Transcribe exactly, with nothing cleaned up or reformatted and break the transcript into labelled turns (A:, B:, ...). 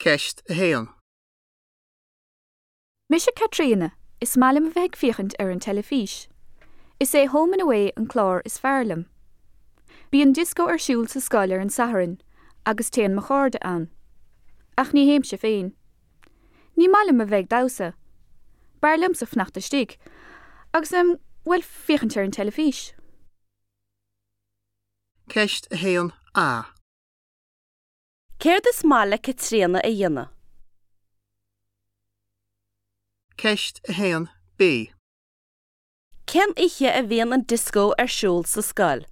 A: Ceist a haon.
B: Mise Caitríona, is maith liom a bheith ag féachaint ar an teilifís. Is é Home and Away an clár is fearr liom. Bíonn dioscó ar siúl sa scoil ar an Satharn, agus téann mo chairde ann. Ach ní théimse féin. Ní maith liom a bheith ag damhsa. B'fhearr liomsa fanacht istigh, agus em bhuel féachaint ar an teilifís.
A: Ceist a haon A.
C: Céard is maith le Caitríona a dhéanamh?
A: Ceist a haon B.
C: Cén oíche a bhíonn an dioscó ar siúl sa scoil?